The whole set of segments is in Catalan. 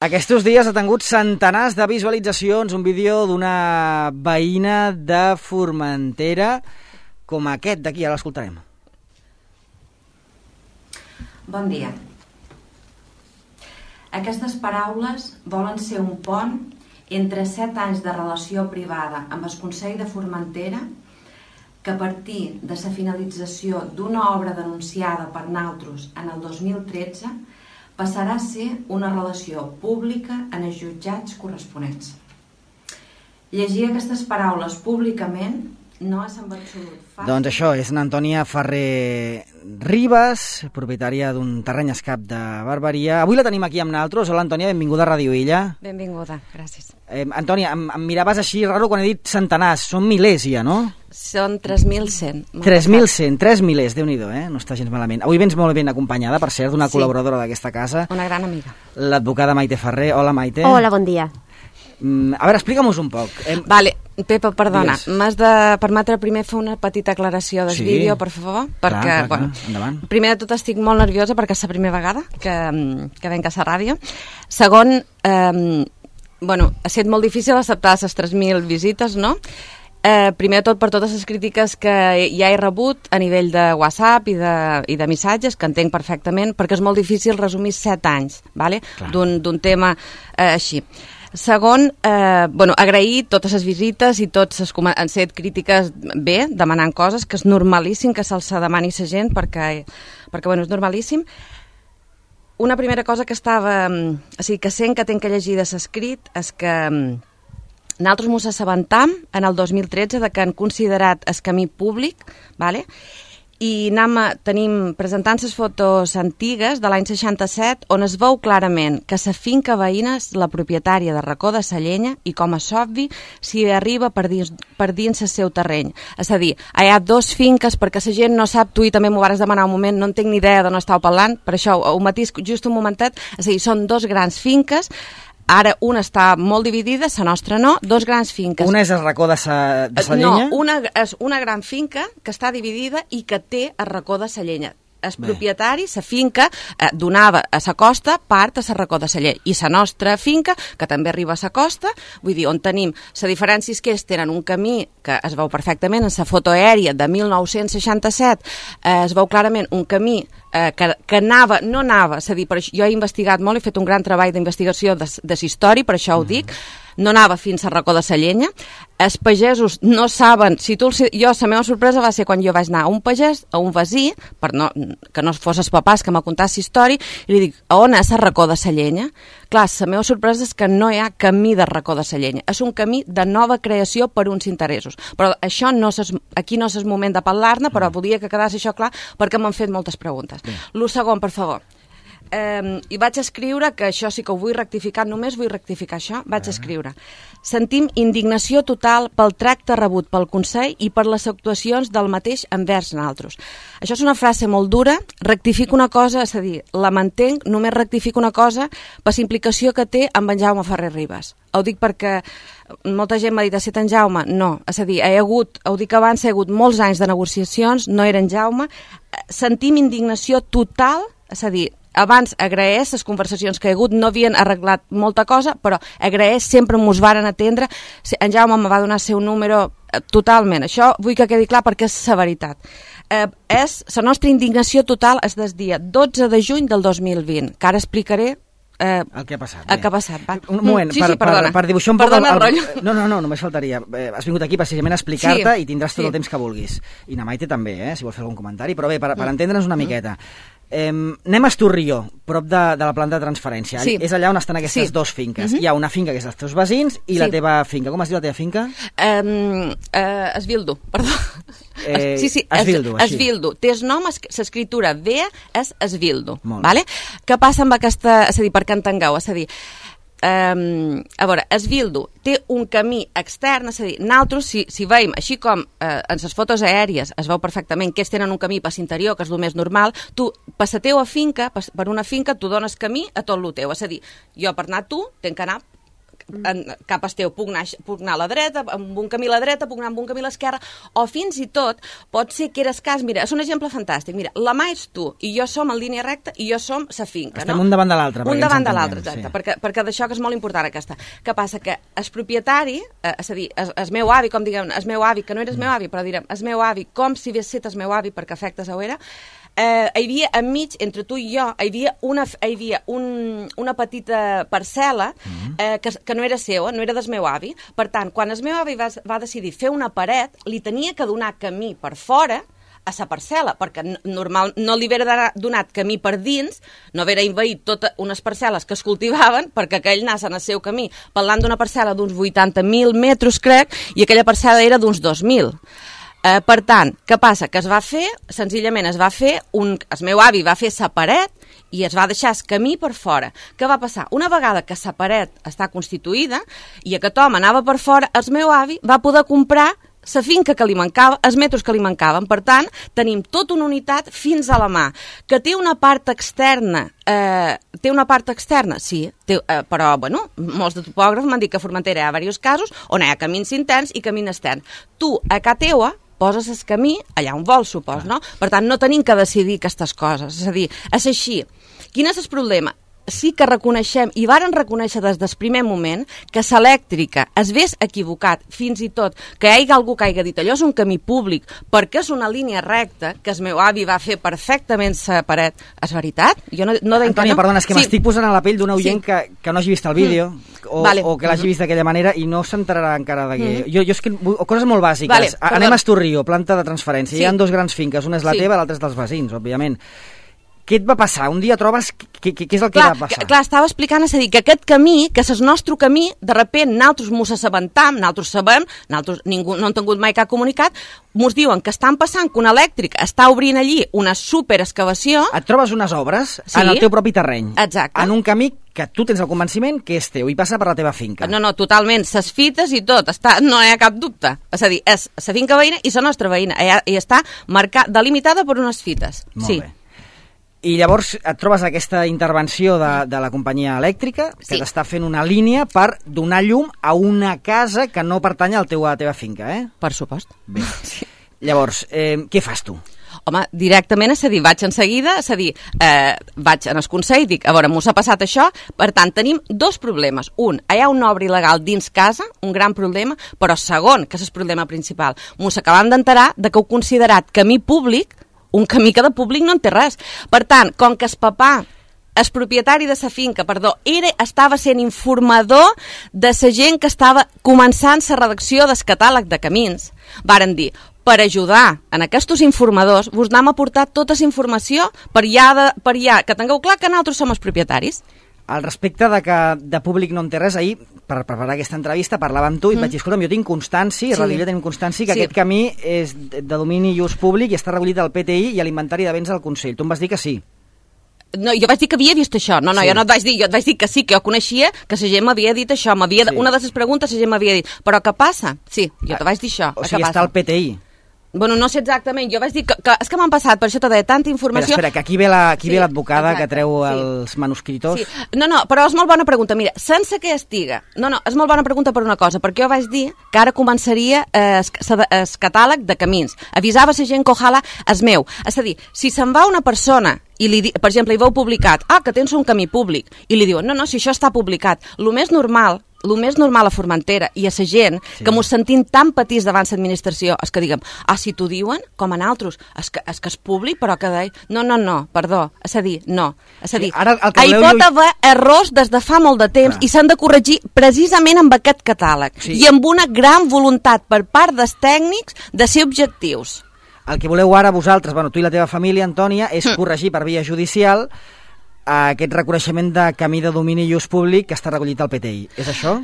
Aquests dies ha tingut centenars de visualitzacions un vídeo d'una veïna de Formentera com aquest d'aquí, ara l'escoltarem. Bon dia. Aquestes paraules volen ser un pont entre 7 anys de relació privada amb el Consell de Formentera que a partir de la finalització d'una obra denunciada per nosaltres en el 2013 passarà a ser una relació pública en els jutjats corresponents. Llegir aquestes paraules públicament no és en absolut fàcil. Doncs això, és una Antònia Ferrer Ribas, propietària d'un terreny escap de Barberia. Avui la tenim aquí amb nosaltres. Hola, Antònia, benvinguda a Ràdio Illa. Benvinguda, gràcies. Antònia, em miraves així raro quan he dit centenars. Són milers ja, no? Són 3.100. 3.100, 3 milers, Déu-n'hi-do, no està gens malament. Avui vens molt ben acompanyada, per cert, d'una col·laboradora d'aquesta casa. Una gran amiga. L'advocada Maite Ferrer. Hola, Maite. Hola, bon dia. A veure, explica'm-nos un poc. Vale, Pepa, perdona, Digues. m'has de permetre primer fer una petita aclaració del vídeo, per favor? Perquè, clar, endavant. Primer de tot estic molt nerviosa perquè és la primera vegada que venc a la ràdio. Segon, ha estat molt difícil acceptar les 3.000 visites, no? Primer de tot per totes les crítiques que ja he rebut a nivell de WhatsApp i de missatges, que entenc perfectament, perquè és molt difícil resumir 7 anys, vale? d'un tema així. Segon, agrair totes les visites i tots han set crítiques bé, demanant coses, que és normalíssim que se'ls demani a la gent, perquè és normalíssim. Una primera cosa que que sent que tenc que llegir de l'escrit és que nosaltres ens assabentam en el 2013 de que han considerat el camí públic, vale? I tenim presentant les fotos antigues de l'any 67 on es veu clarament que la finca veïna és la propietària de Racó de Sallenya i, com és obvi, s'hi arriba per dins el seu terreny. És a dir, hi ha 2 finques, perquè la gent no sap, tu i també m'ho vas demanar un moment, no en tinc ni idea d'on estàu parlant, per això ho matís just un momentet, és a dir, són 2 grans finques. Ara una està molt dividida, la nostra no, 2 grans finques. Una és el Racó de Sallenya? No, una és una gran finca que està dividida i que té el Racó de Sallenya. El propietari, la finca, donava a la costa part a la Racó de Sallenya. I la nostra finca, que també arriba a la costa, vull dir, on tenim la diferència és que tenen un camí que es veu perfectament en la foto aèria de 1967, es veu clarament un camí que no anava, és a dir, jo he investigat molt, he fet un gran treball d'investigació de història, per això ho dic, no anava fins a Racó de Sallenya. Els pagesos no saben, la meva sorpresa va ser quan jo vaig anar a un pagès, a un veí, que no fos els papàs que m'ha contat la història, i li dic, a on és el Racó de Sallenya? Clar, la meva sorpresa és que no hi ha camí de Racó de Sallenya, és un camí de nova creació per uns interessos. Però això aquí no és el moment de parlar-ne, però volia que quedés això clar perquè m'han fet moltes preguntes. Lo segon, per favor. I vaig escriure, que això sí que ho vull rectificar, només vull rectificar això, vaig escriure: sentim indignació total pel tracte rebut pel Consell i per les actuacions del mateix envers nosaltres. Això és una frase molt dura, rectifico una cosa, és a dir, la mantenc, només rectifico una cosa per la implicació que té amb en Jaume Ferrer Ribas. Ho dic perquè molta gent m'ha dit, ha estat en Jaume? No, és a dir, ho dic abans, hi ha hagut molts anys de negociacions, no era en Jaume. Sentim indignació total, és a dir, abans agraeix les conversacions que hi ha hagut, no havien arreglat molta cosa, però agraeix, sempre mos varen atendre. En Jaume me va donar el seu número totalment. Això vull que quedi clar perquè és la veritat. La nostra indignació total és del dia 12 de juny del 2020, que ara explicaré el que ha passat. El que ha passat, va. Un moment, per dibuixar un poc... Perdona el rotllo. No, només faltaria. Has vingut aquí precisament a explicar-te i tindràs tot el temps que vulguis. I na Maite també, si vols fer algun comentari. Però bé, per entendre'ns una miqueta. Anem a Estorrió, prop de la planta de transferència. És allà on estan aquestes 2 finques. Hi ha una finca que és dels teus veïns i la teva finca. Com es diu la teva finca? Esvildo, perdó. Esvildo, així. Esvildo. Té el nom, l'escriptura V és Esvildo. Vale? Què passa amb aquesta... És a dir, perquè entengueu, és a dir... a veure, Esvildo té un camí extern, és a dir, nosaltres, si veiem, així com en les fotos aèries es veu perfectament que ells tenen un camí per l'interior, que és el més normal, tu, per la teua finca, per una finca, tu dones camí a tot el teu, és a dir, jo per anar a tu, tenc que anar cap esteu puc anar a la dreta, amb un camí a la dreta, puc anar amb un camí a l'esquerra, o fins i tot pot ser que eres cas, mira, és un exemple fantàstic, mira, la mà ets tu i jo som en línia recta i jo som sa finca. Estem un davant de l'altre. Un davant de l'altre, exacte, perquè d'això que és molt important aquesta. Què passa? Que el propietari, és a dir, el meu avi, com diguem, el meu avi, que no eres meu avi, però direm, el meu avi, com si hagués set el meu avi perquè afectes a era, hi havia enmig, entre tu i jo, hi havia una petita parcel·la que no era seva, no era del meu avi. Per tant, quan el meu avi va decidir fer una paret, li tenia que donar camí per fora a la parcel·la, perquè normal no li haguera donat camí per dins, no haguera invaït totes unes parcel·les que es cultivaven perquè aquell anés en el seu camí. Parlant d'una parcel·la d'uns 80.000 metres, crec, i aquella parcel·la era d'uns 2.000. Per tant, què passa? Que es va fer, senzillament es va fer, el meu avi va fer sa paret i es va deixar el camí per fora. Què va passar? Una vegada que sa paret està constituïda i aquest home anava per fora, el meu avi va poder comprar la finca que li mancava, els metres que li mancaven. Per tant, tenim tota una unitat fins a la mà, que té una part externa. Sí, però, bueno, molts de topògrafs m'han dit que a Formentera hi ha diversos casos on hi ha camins interns i camins externs. Tu, a casa teua, poses el camí allà on vols, supos, no? Per tant, no tenim que decidir aquestes coses. És a dir, és així. Quin és el problema? Sí que reconeixem, i varen reconèixer des del primer moment, que l'elèctrica es vés equivocat, fins i tot que hi hagi algú que hagi dit allò és un camí públic perquè és una línia recta, que el meu avi va fer perfectament la paret. És veritat? Jo no Antònia, perdona, és que m'estic posant a la pell d'un oient que no hagi vist el vídeo o que l'hagi vist d'aquella manera i no s'enterarà encara de què. Jo és que... Coses molt bàsiques. Anem a Estorrio, planta de transferència. Hi ha dos grans finques, una és la teva, l'altra és dels veïns, òbviament. Què et va passar? Un dia trobes... Què és el que va passar? Clar, estava explicant, és a dir, que aquest camí, que és el nostre camí, de repent, nosaltres mos assabentam, nosaltres sabem, ningú no han tingut mai cap comunicat, mos diuen que estan passant, que un elèctric està obrint allí una superexcavació... Et trobes unes obres en el teu propi terreny. Exacte. En un camí que tu tens el convenciment que és teu i passa per la teva finca. No, totalment, ses fites i tot, no hi ha cap dubte. És a dir, és la finca veïna i la nostra veïna, i està delimitada per unes fites. Molt bé. I llavors et trobes aquesta intervenció de la companyia elèctrica que t'està fent una línia per donar llum a una casa que no pertany a la teva finca, eh? Per supost. Bé. Llavors, què fas tu? Home, directament, és a dir, vaig en seguida, és a dir, vaig en el Consell, dic, a veure, mos ha passat això, per tant, tenim dos problemes. Un, hi ha una obra il·legal dins casa, un gran problema, però segon, que és el problema principal, mos acabam d'enterar que heu considerat camí públic un camí que de públic no en té res. Per tant, com que el papà, el propietari de la finca, estava sent informador de la gent que estava començant la redacció del catàleg de camins, varen dir, per ajudar en aquests informadors, vos anem a portar tota la informació per ja que tingueu clar que nosaltres som els propietaris. Al respecte de públic no en té res, ahir, per preparar aquesta entrevista, parlava amb tu i et vaig dir, escolta'm, jo tinc constància, Radiolla tenim constància que aquest camí és de domini i ús públic i està recollit al PTI i a l'Inventari de Béns del Consell. Tu em vas dir que sí. No, jo vaig dir que havia vist això. No, jo no et vaig dir, jo et vaig dir que sí, que jo coneixia, que la gent m'havia dit això. Una de les preguntes la gent m'havia dit, però què passa? Sí, jo te vaig dir això. O sigui, està al PTI. Bueno, no sé exactament, jo vaig dir que és que m'han passat, per això t'he de tanta informació... Espera, que aquí ve l'advocada que treu els manuscritos. Sí. No, però és molt bona pregunta, mira, sense que estiga... No, és molt bona pregunta per una cosa, perquè jo vaig dir que ara començaria el catàleg de camins. Avisava la gent que ojalà és meu. És a dir, si se'n va una persona i, per exemple, hi veu publicat, que tens un camí públic, i li diuen, no, si això està publicat, el més normal a Formentera i a la gent que mos sentim tan petits davant l'administració és que diguem, si t'ho diuen, com a nosaltres, és que és públic, però que deia, no, perdó, és a dir, no. És a dir, hi pot haver errors des de fa molt de temps i s'han de corregir precisament amb aquest catàleg i amb una gran voluntat per part dels tècnics de ser objectius. El que voleu ara vosaltres, tu i la teva família, Antònia, és corregir per via judicial aquest reconeixement de camí de domini i ús públic que està recollit al PTI. És això?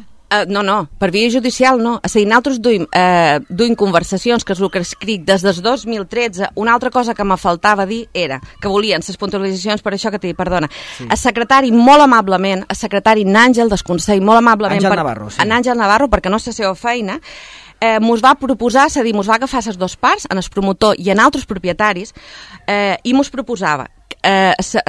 No, per via judicial no. És a dir, nosaltres duim conversacions, que és el que escric des del 2013. Una altra cosa que me faltava dir era que volien les puntualitzacions, per això que t'he dit, perdona. El secretari, molt amablement, el secretari Nàngel del Consell, molt amablement... Àngel Navarro, sí. Àngel Navarro, perquè no és la seva feina, mos va proposar, és a dir, mos va agafar les dues parts, en el promotor i en altres propietaris, i mos proposava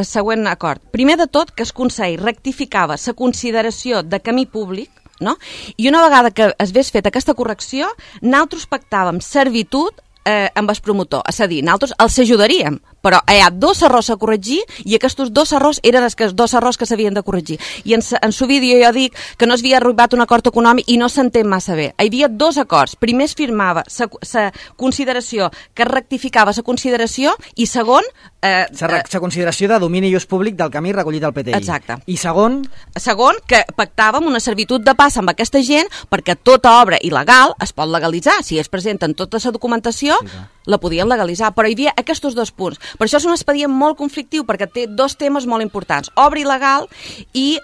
següent acord. Primer de tot, que el Consell rectificava la consideració de camí públic, no? I una vegada que es hagués fet aquesta correcció, nosaltres pactàvem servitud amb el promotor, és a dir, nosaltres els ajudaríem, però hi ha 2 errors a corregir i aquests 2 errors eren els 2 errors que s'havien de corregir. I en su vídeo jo dic que no s'havia arribat un acord econòmic i no s'entén massa bé. Hi havia 2 acords. Primer es firmava la consideració, que es rectificava la consideració, i segon... La consideració de domini i ús públic del camí recollit al PTI. Exacte. I segon? Segon, que pactàvem una servitud de pas amb aquesta gent perquè tota obra il·legal es pot legalitzar. Si es presenten tota la documentació, la podien legalitzar, però hi havia aquests 2 punts. Per això és un expedient molt conflictiu, perquè té 2 temes molt importants: obra il·legal i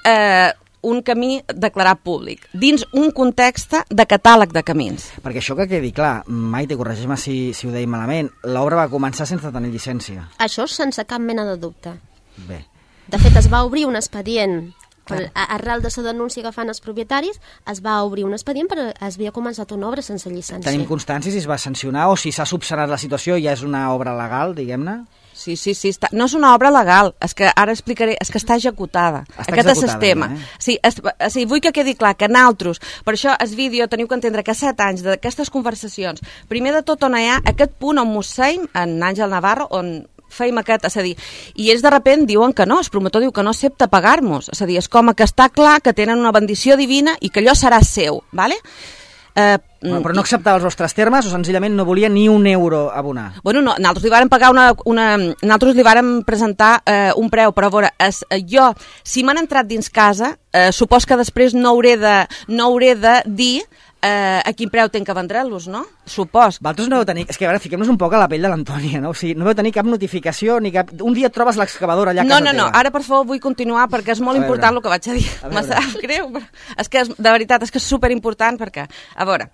un camí declarat públic, dins un context de catàleg de camins. Perquè això que quedi clar, Maite, corregeix-me si ho deim malament, l'obra va començar sense tenir llicència. Això sense cap mena de dubte. Bé. De fet, es va obrir un expedient, arrel de la denúncia que fan els propietaris, es va obrir un expedient perquè es havia començat una obra sense llicència. Tenim constància si es va sancionar o si s'ha subsanat la situació i ja és una obra legal, diguem-ne? Sí, no és una obra legal, és que ara explicaré, és que està executada. Aquest és el tema. Sí, vull que quedi clar que nosaltres, per això el vídeo teniu que entendre que 7 anys d'aquestes conversacions, primer de tot on hi ha aquest punt on mosseim, en Àngel Navarro, on feim aquest, és a dir, i ells de repent diuen que no, el promotor diu que no accepta pagar-nos, és a dir, és com que està clar que tenen una bendició divina i que allò serà seu, ¿vale? Però no acceptava els vostres termes o senzillament no volia ni un euro abonar? Bueno, no, nosaltres li vàrem pagar nosaltres li vàrem presentar un preu, però a veure, jo, si m'han entrat dins casa, supos que després no hauré de dir a quin preu tenc que vendre-los, no? Supos. Vosaltres no vau tenir... És que, a veure, fiquem-nos un poc a la pell de l'Antònia, no? O sigui, no vau tenir cap notificació ni cap... Un dia et trobes l'excavadora allà a casa teva. No, ara, per favor, vull continuar perquè és molt important el que vaig a dir. Me sap greu, però és que, de veritat, és que és superimportant perquè... A veure,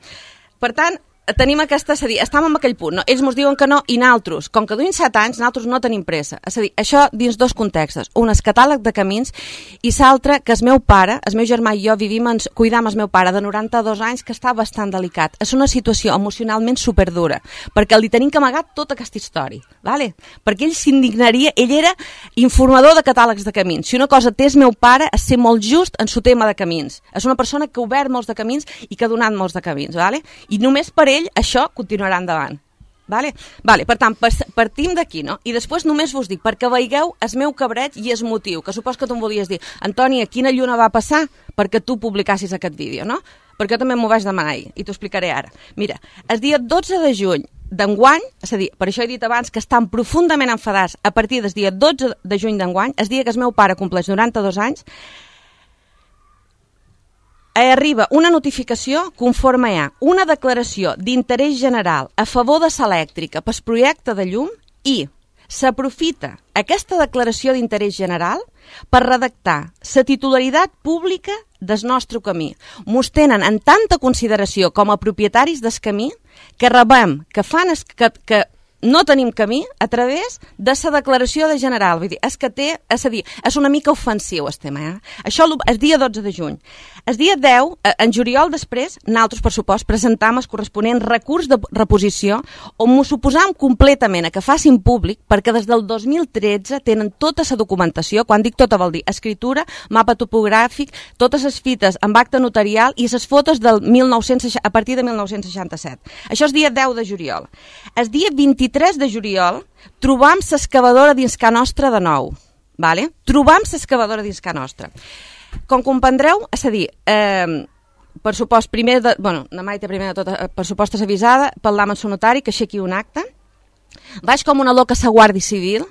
per tant, tenim aquesta... És a dir, estàvem en aquell punt, no? Ells ens diuen que no i nosaltres, com que duim 7 anys, nosaltres no tenim pressa. És a dir, això dins 2 contextos. Un és catàleg de camins i l'altre que el meu pare, el meu germà i jo cuidam el meu pare de 92 anys que està bastant delicat. És una situació emocionalment superdura perquè li tenim que amagar tota aquesta història, ¿vale? Perquè ell s'indignaria, ell era informador de catàlegs de camins. Si una cosa té el meu pare és ser molt just en su tema de camins. És una persona que ha obert molts de camins i que ha donat molts de camins, ¿vale? I només per ell això continuarà endavant. Vale? Per tant, partim d'aquí, no? I després només vos dic, perquè veieu el meu cabreig i el motiu, que supos que tu em volies dir, Antònia, quina lluna va passar perquè tu publicassis aquest vídeo, no? Perquè jo també m'ho vaig demanar ahir, i t'ho explicaré ara. Mira, el dia 12 de juny d'enguany, és a dir, per això he dit abans que estan profundament enfadats a partir del dia 12 de juny d'enguany, el dia que el meu pare compleix 92 anys, arriba una notificació conforme hi ha una declaració d'interès general a favor de l'elèctrica pel projecte de llum i s'aprofita aquesta declaració d'interès general per redactar la titularitat pública del nostre camí. Mos tenen en tanta consideració com a propietaris del camí que rebem, que no tenim camí a través de la declaració de general. Vull dir, és una mica ofensiu el tema. Això el dia 12 de juny. El dia 10, en juliol després, nosaltres, per supost, presentam el corresponent recurs de reposició on m'ho suposam completament a que facin públic perquè des del 2013 tenen tota la documentació, quan dic tota vol dir escritura, mapa topogràfic, totes les fites amb acte notarial i les fotos a partir de 1967. Això és dia 10 de juliol. El dia 23 de juliol trobam l'excavadora dins Ca Nostra de nou. Vale? Trobam l'excavadora dins Ca Nostra. Com comprendreu, és a dir, per supost, la Maite primer de tot, per supost és avisada, parlam amb el notari que aixequi un acte. Vaig com una loca a la Guàrdia Civil.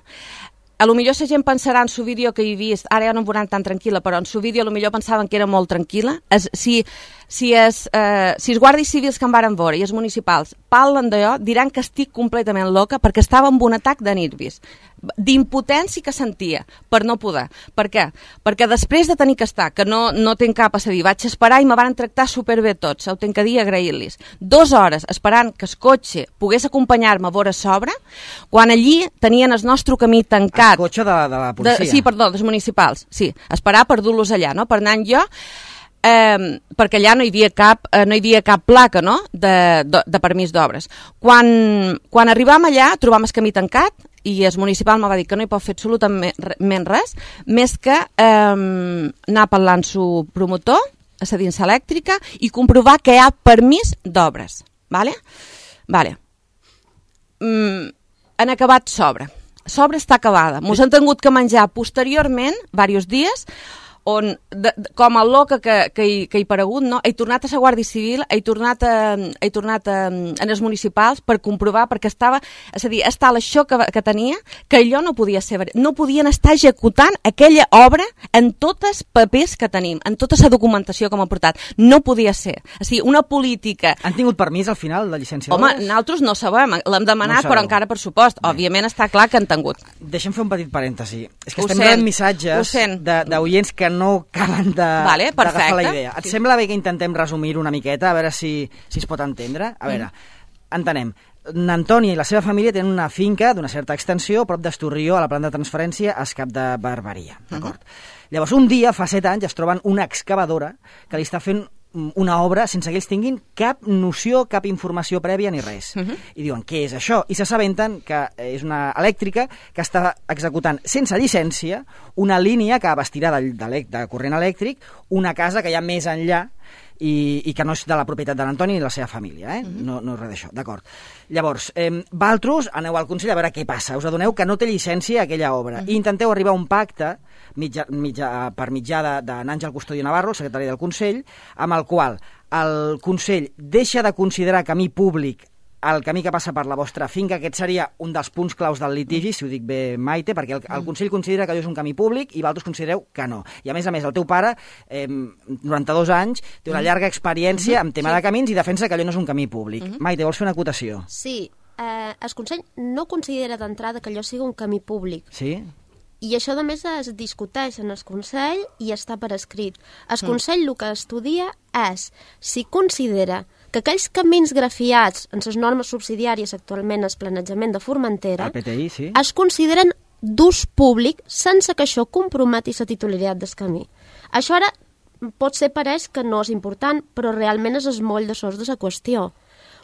A lo millor la gent pensarà en su vídeo que he vist, ara ja no em veuran tan tranquil·la, però en su vídeo a lo millor pensaven que era molt tranquil·la. Si els guàrdies civils que em varen veure i els municipals parlen d'allò, diran que estic completament loca perquè estava amb un atac de nervis, d'impotència que sentia, per no poder. Per què? Perquè després de tenir que estar, que no tenc cap a dir, vaig esperar i me van tractar superbé tots, ho tenc que dir, agrair-los. 2 hores esperant que el cotxe pogués acompanyar-me a veure sobre, quan allí tenien el nostre camí tancat. El cotxe de la policia? Sí, perdó, dels municipals, sí. Esperar per dur-los allà, no? Per anar jo... perquè allà no hi havia cap placa, no? de permís d'obres. Quan arribam allà trobam el camí tancat i el municipal me va dir que no hi pot fer absolutament res més que anar parlant su promotor és a dir, a l'elèctrica, i comprovar que hi ha permís d'obres. Vale? Han acabat s'obra. S'obra està acabada. Ens han tingut que menjar posteriorment, diversos dies, on, com el loca que hi ha aparegut, no? He tornat a la Guàrdia Civil, he tornat en els municipals per comprovar, perquè estava, és a dir, està això que tenia, que allò no podia ser, no podien estar executant aquella obra en tots els papers que tenim, en tota la documentació que m'ha portat. No podia ser. O sigui, una política... Han tingut permís al final de llicència d'obres? Home, nosaltres no sabem, l'hem demanat, però encara per supost. Òbviament està clar que han tingut. Deixa'm fer un petit parèntesi. És que estem rebent missatges d'oients que no acaben d'agafar la idea. Et sembla bé que intentem resumir-ho una miqueta, a veure si es pot entendre? A veure, entenem. N'Antònia i la seva família tenen una finca d'una certa extensió prop d'Estorrió, a la planta de transferència, a Escap de Barberia. D'acord? Llavors, un dia, fa 7 anys, es troben una excavadora que li està fent una obra sense que ells tinguin cap noció, cap informació prèvia ni res. I diuen, què és això? I s'assabenten que és una elèctrica que està executant sense llicència una línia que abastirà de corrent elèctric una casa que hi ha més enllà i que no és de la propietat de l'Antoni ni de la seva família, no és res d'això, d'acord. Llavors, vosaltres aneu al Consell a veure què passa, us adoneu que no té llicència aquella obra i intenteu arribar a un pacte per mitjà d'Àngel Custodio Navarro, el secretari del Consell, amb el qual el Consell deixa de considerar camí públic el camí que passa per la vostra finca. Aquest seria un dels punts claus del litigi, si ho dic bé, Maite, perquè el Consell considera que allò és un camí públic i vosaltres considereu que no. I a més, el teu pare, 92 anys, té una llarga experiència en tema de camins i defensa que allò no és un camí públic. Maite, vols fer una acotació? Sí, el Consell no considera d'entrada que allò sigui un camí públic. Sí? I això, a més, es discuteix en el Consell i està per escrit. El Consell el que estudia és si considera que aquells camins grafiats en les normes subsidiàries actualment al planejament de Formentera PTI, sí, es consideren d'ús públic sense que això comprometi la titularitat del camí. Això ara potser pareix que no és important, però realment és el moll de sos de la qüestió.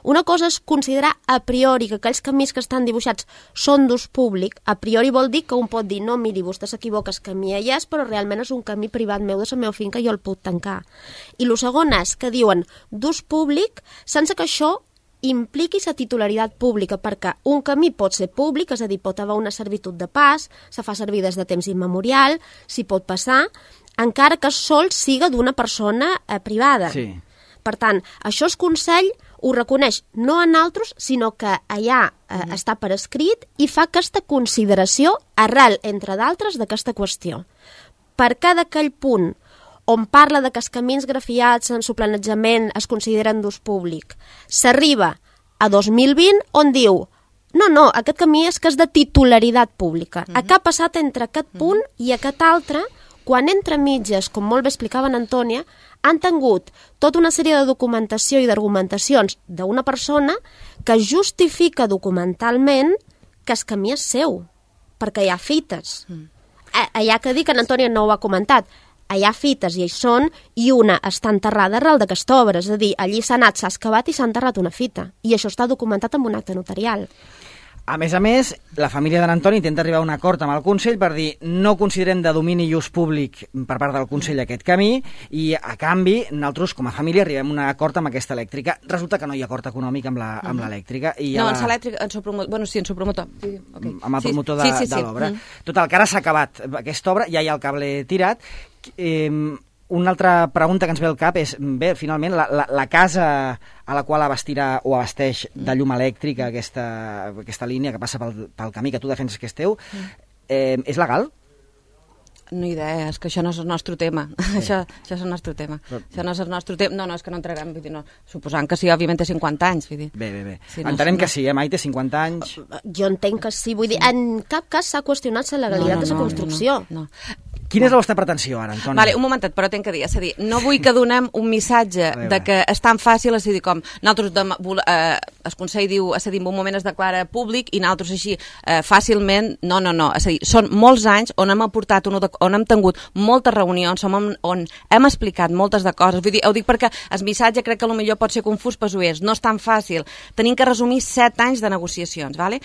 Una cosa és considerar a priori que aquells camins que estan dibuixats són d'ús públic. A priori vol dir que un pot dir, no, miri, vostè s'equivoca, el camí allà és, però realment és un camí privat meu de la meva finca i jo el puc tancar. I el segon és que diuen d'ús públic sense que això impliqui la titularitat pública, perquè un camí pot ser públic, és a dir, pot haver una servitud de pas, se fa servir des de temps immemorial, s'hi pot passar, encara que sol siga d'una persona privada. Sí. Per tant, això el Consell ho reconeix no a nosaltres, sinó que allà està per escrit i fa aquesta consideració arrel, entre d'altres, d'aquesta qüestió. Per cada aquell punt on parla de que els camins grafiats en su planejament es consideren d'ús públic, s'arriba a 2020 on diu no, aquest camí és que és de titularitat pública. Què ha passat entre aquest punt i aquest altre? Quan entre mitges, com molt bé explicava en Antònia, han tingut tota una sèrie de documentació i d'argumentacions d'una persona que justifica documentalment que el camí és seu, perquè hi ha fites. Hi ha que dir que en Antònia no ho ha comentat. Hi ha fites i hi són, i una està enterrada arrel d'aquesta obra, és a dir, allí s'ha anat, s'ha excavat i s'ha enterrat una fita. I això està documentat amb un acte notarial. A més, la família de l'Antoni intenta arribar a un acord amb el Consell per dir no considerem de domini i ús públic per part del Consell aquest camí i, a canvi, nosaltres, com a família, arribem a un acord amb aquesta elèctrica. Resulta que no hi ha acord econòmic amb l'elèctrica. No, en l'elèctrica, en su promotor... Bueno, sí, en su promotor. Amb el promotor de l'obra. Total, que ara s'ha acabat aquesta obra, ja hi ha el cable tirat. Una altra pregunta que ens ve al cap és, bé, finalment, la casa a la qual abastirà o abasteix de llum elèctrica aquesta línia que passa pel camí que tu defenses que és teu, és legal? No idea, és que això no és el nostre tema. Això és el nostre tema. Això no és el nostre tema. No, és que no entrarem, vull dir, no. Suposant que sí, òbviament té 50 anys, vull dir. Bé. Entenem que sí, Maite, 50 anys. Jo entenc que sí, vull dir, en cap cas s'ha qüestionat la legalitat de la construcció. No. Quina és la vostra pretensió, ara, Antoni? Vale, un momentet, però tinc que dir, és a dir, no vull que donem un missatge de que és tan fàcil, és a dir, com nosaltres, el Consell diu, és a dir, en un moment es declara públic i nosaltres així fàcilment, no, és a dir, són molts anys on hem aportat, on hem tingut moltes reunions, on hem explicat moltes de coses, vull dir, ho dic perquè el missatge crec que potser pot ser confús per oients, no és tan fàcil, tenim que resumir 7 anys de negociacions, vale?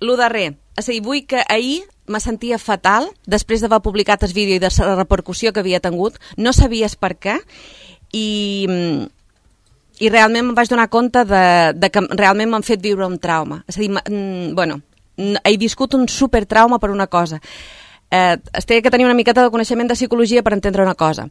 Lo darrer, és a dir, vull que ahir me sentia fatal després d'haver publicat el vídeo i de la repercussió que havia tingut, no sabies per què, i realment em vaig donar compte de que realment m'han fet viure un trauma. És a dir, he viscut un supertrauma per una cosa. Es té que tenir una miqueta de coneixement de psicologia per entendre una cosa.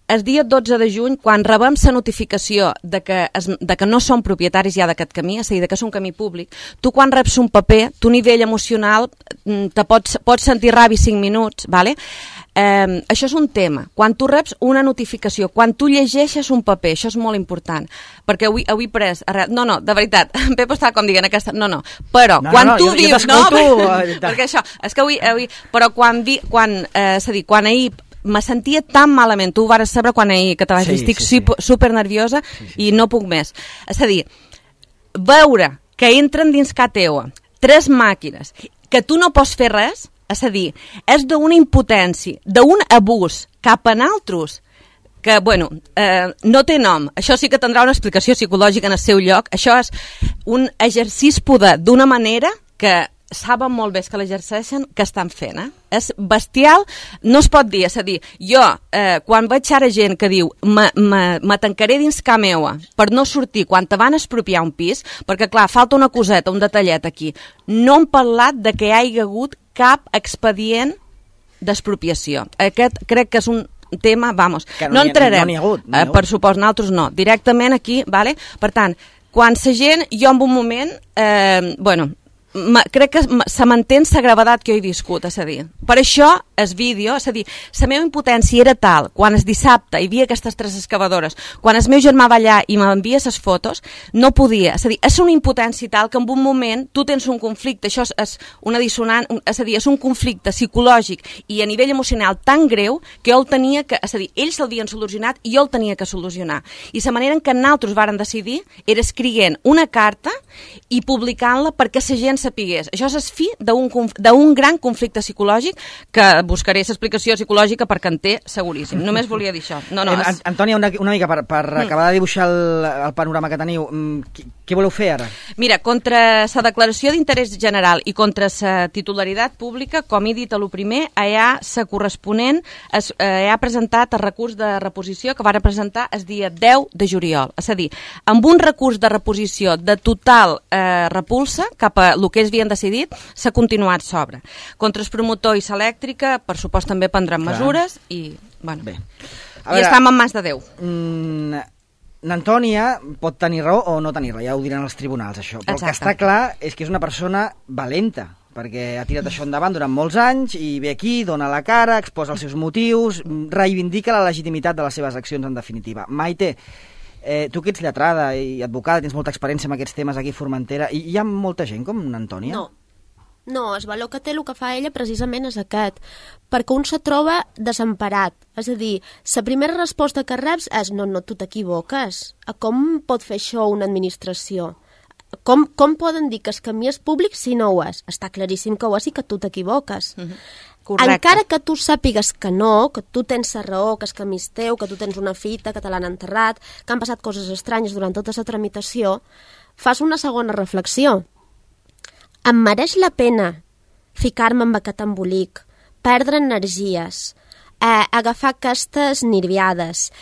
El dia 12 de juny, quan rebem la notificació de que no som propietaris ja d'aquest camí, és a dir, que és un camí públic, tu quan reps un paper, tu a nivell emocional te pots sentir ràbia 5 minuts, ¿vale? Això és un tema. Quan tu reps una notificació, quan tu llegeixes un paper, això és molt important, perquè avui pres... No, de veritat, en Pepo està com dient aquesta... No, però quan tu dius... No, perquè això, és que avui... Però quan ahir me sentia tan malament, tu ho vares saber quan ahir que te vaig dir, estic super nerviosa i no puc més. És a dir, veure que entren dins casa teua 3 màquines, que tu no pots fer res, és a dir, és d'una impotència, d'un abús cap a altres, que, no té nom. Això sí que tindrà una explicació psicològica en el seu lloc. Això és un exercici poder d'una manera que saben molt bé que l'exerceixen, que estan fent. És bestial, no es pot dir. És a dir, jo, quan veig ara gent que diu me tancaré dins casa meua per no sortir quan te van expropiar un pis, perquè, clar, falta una coseta, un detallet aquí. No hem parlat de que hi hagi hagut cap expedient d'expropiació. Aquest crec que és un tema, no entrarem. No n'hi ha hagut. Per supost, nosaltres no. Directament aquí, vale? Per tant, quan la gent, jo en un moment, crec que se m'entén la gravetat que jo he viscut, és a dir, per això el vídeo, és a dir, la meva impotència era tal, quan el dissabte hi havia aquestes 3 excavadores, quan el meu germà va allà i m'envia les fotos, no podia, és a dir, és una impotència tal que en un moment tu tens un conflicte, això és una dissonant, és a dir, és un conflicte psicològic i a nivell emocional tan greu que jo el tenia que, és a dir, ells l'havien solucionat i jo el tenia que solucionar, i la manera en què nosaltres vàrem decidir era escrivint una carta i publicant-la perquè la gent sapigués. Això és el fi d'un gran conflicte psicològic que buscaré l'explicació psicològica perquè en té seguríssim. Només volia dir això. Antònia, una mica per acabar de dibuixar el panorama que teniu, què voleu fer ara? Mira, contra la declaració d'interès general i contra la titularitat pública, com he dit a lo primer, hi ha la corresponent, hi ha presentat el recurs de reposició que va presentar el dia 10 de juliol. És a dir, amb un recurs de reposició de total repulsa cap a el que ells havien decidit, s'ha continuat sobre. Contra el promotor i l'elèctrica, per supost també prendran mesures i, Bé. I estem en mans de Déu. N'Antònia pot tenir raó o no tenir raó, ja ho diran els tribunals, això. Però el que està clar és que és una persona valenta, perquè ha tirat això endavant durant molts anys i ve aquí, dona la cara, exposa els seus motius, reivindica la legitimitat de les seves accions, en definitiva. Maite, tu que ets lletrada i advocada, tens molta experiència en aquests temes aquí a Formentera, i hi ha molta gent com n'Antònia? No, el valor que té el que fa ella precisament és aquest, perquè un se troba desemparat. És a dir, la primera resposta que reps és no, tu t'equivoques. Com pot fer això una administració? Com poden dir que el camí és públic si no ho és? Està claríssim que ho és i que tu t'equivoques. Correcte. Encara que tu sàpigues que no, que tu tens la raó, que el camí és teu, que tu tens una fita, que te l'han enterrat, que han passat coses estranyes durant tota la tramitació, fas una segona reflexió. Em mereix la pena ficar-me amb aquest embolic, perdre energies, agafar aquestes nerviades,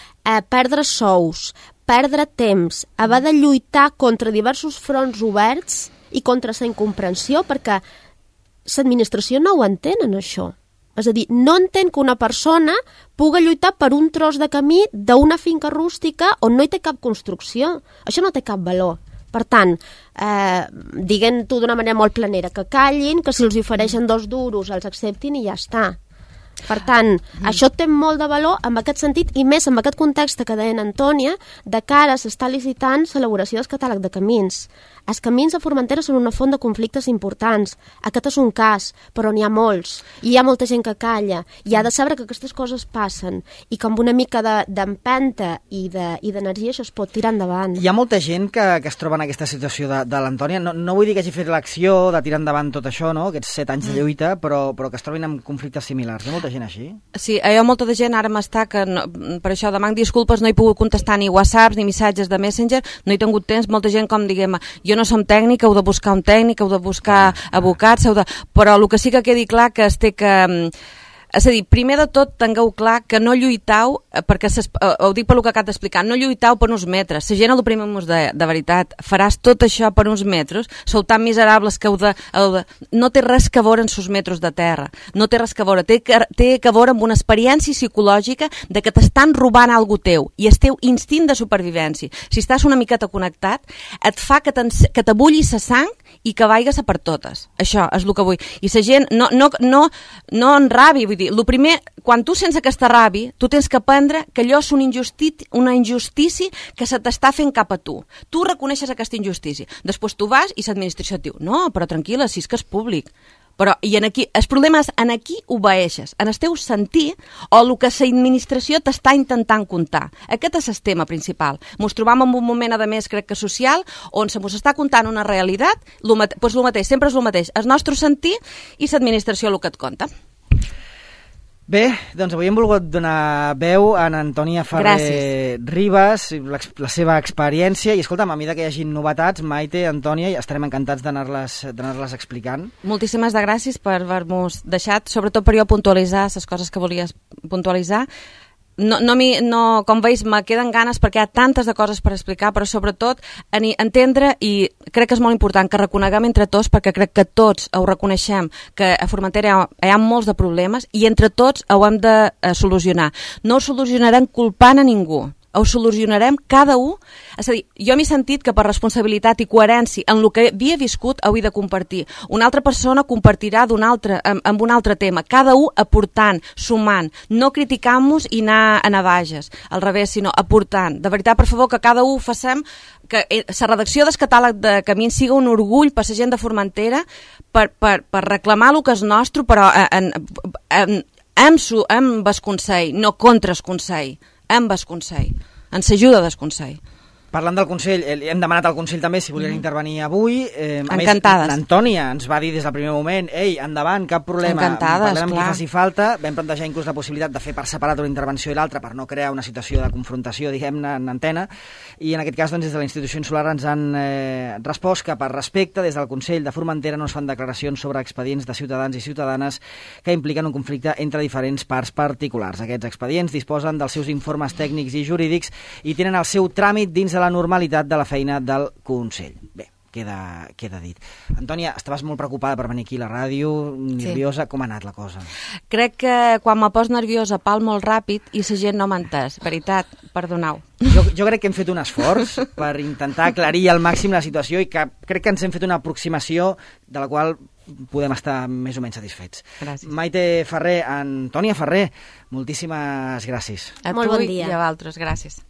perdre sous, perdre temps, haver de lluitar contra diversos fronts oberts i contra la incomprensió, perquè l'administració no ho entén, això. És a dir, no entén que una persona pugui lluitar per un tros de camí d'una finca rústica on no hi té cap construcció. Això no té cap valor. Per tant, diguem-ho d'una manera molt planera, que callin, que si els ofereixen 2 duros els acceptin i ja està. Per tant, això té molt de valor en aquest sentit, i més en aquest context que deia Antònia, de cara s'està licitant l'elaboració del catàleg de camins. Els camins a Formentera són una font de conflictes importants. Aquest és un cas, però n'hi ha molts. I hi ha molta gent que calla. I ha de saber que aquestes coses passen i que amb una mica d'empenta i d'energia això es pot tirar endavant. Hi ha molta gent que es troba en aquesta situació de l'Antònia. No vull dir que hagi fet l'acció de tirar endavant tot això, no? Aquests 7 anys de lluita, però que es trobin en conflictes similars. Hi ha molta molta gent així? Sí, hi ha molta de gent, ara m'està que per això demanc disculpes, no he pogut contestar ni whatsapps ni missatges de Messenger, no he tingut temps, molta gent com diguem, jo no som tècnic, heu de buscar un tècnic, heu de buscar advocats, però el que sí que quedi clar que es té que... És a dir, primer de tot, tingueu clar que no lluitau, perquè ho dic per el que acabo d'explicar, no lluitau per uns metres. La gent el primer mos de veritat, faràs tot això per uns metres, sou tan miserables que no té res que veure en sos metres de terra, no té res que veure, té que veure amb una experiència psicològica de que t'estan robant algo teu, i el teu instint de supervivència. Si estàs una miqueta connectat, et fa que t'abulli la sang i que vaigues a per totes. Això és el que vull. I la gent no enrabi, vull dir, el primer, quan tu sents aquesta ràbia, tu tens que aprendre que allò és una injustícia que se t'està fent cap a tu. Tu reconeixes aquesta injustícia. Després tu vas i l'administració et diu, no, però tranquil·la, si és que és públic. Però el problema és en aquí obeeixes, en el teu sentir o el que l'administració t'està intentant contar. Aquest és el tema principal. Ens trobam en un moment, a més, crec que social, on se mos està contant una realitat, doncs el mateix, sempre és el mateix, el nostre sentir i l'administració el que et conta. Bé, doncs avui hem volgut donar veu a Antònia Ferrer Ribas, la seva experiència, i escolta'm, a mesura que hi hagi novetats, Maite, Antònia, estarem encantats d'anar-les explicant. Moltíssimes gràcies per haver-nos deixat, sobretot per jo puntualitzar les coses que volies puntualitzar. Com veus, me queden ganes perquè hi ha tantes de coses per explicar, però sobretot entendre, i crec que és molt important que reconeguem entre tots, perquè crec que tots ho reconeixem, que a Formentera hi ha molts de problemes i entre tots ho hem de solucionar. No ho solucionarem culpant a ningú, ho solucionarem cada un. És a dir, jo m'he sentit que per responsabilitat i coherència en el que havia viscut ho he de compartir. Una altra persona compartirà amb un altre tema, cada un aportant, sumant, no criticant-nos i anar a navages, al revés, sinó aportant. De veritat, per favor, que cada un facem que la redacció del catàleg de camins siga un orgull per la gent de Formentera per reclamar el que és nostre, però amb el Consell, no contra el Consell. Amb el Consell, ens ajuda del Consell. Parlant del Consell, hem demanat al Consell també si volien intervenir avui. Encantades. L'Antònia ens va dir des del primer moment, ei, endavant, cap problema. Encantades, parlem amb clar. qui faci falta. Vam plantejar inclús la possibilitat de fer per separat una intervenció i l'altra per no crear una situació de confrontació, diguem-ne, en antena. I en aquest cas, doncs, des de la Institució Insular ens han respost que per respecte, des del Consell de Formentera no es fan declaracions sobre expedients de ciutadans i ciutadanes que impliquen un conflicte entre diferents parts particulars. Aquests expedients disposen dels seus informes tècnics i jurídics i tenen el seu tràmit dins de la normalitat de la feina del Consell. Bé, queda dit. Antònia, estaves molt preocupada per venir aquí a la ràdio, nerviosa. Sí. Com ha anat la cosa? Crec que quan me pos nerviosa pal molt ràpid i la gent no m'ha entès. Veritat, perdoneu. Jo crec que hem fet un esforç per intentar aclarir al màxim la situació i que crec que ens hem fet una aproximació de la qual podem estar més o menys satisfets. Gràcies. Maite Ferrer, Antònia Ferrer, moltíssimes gràcies. A molt tu bon dia. I a vosaltres, gràcies.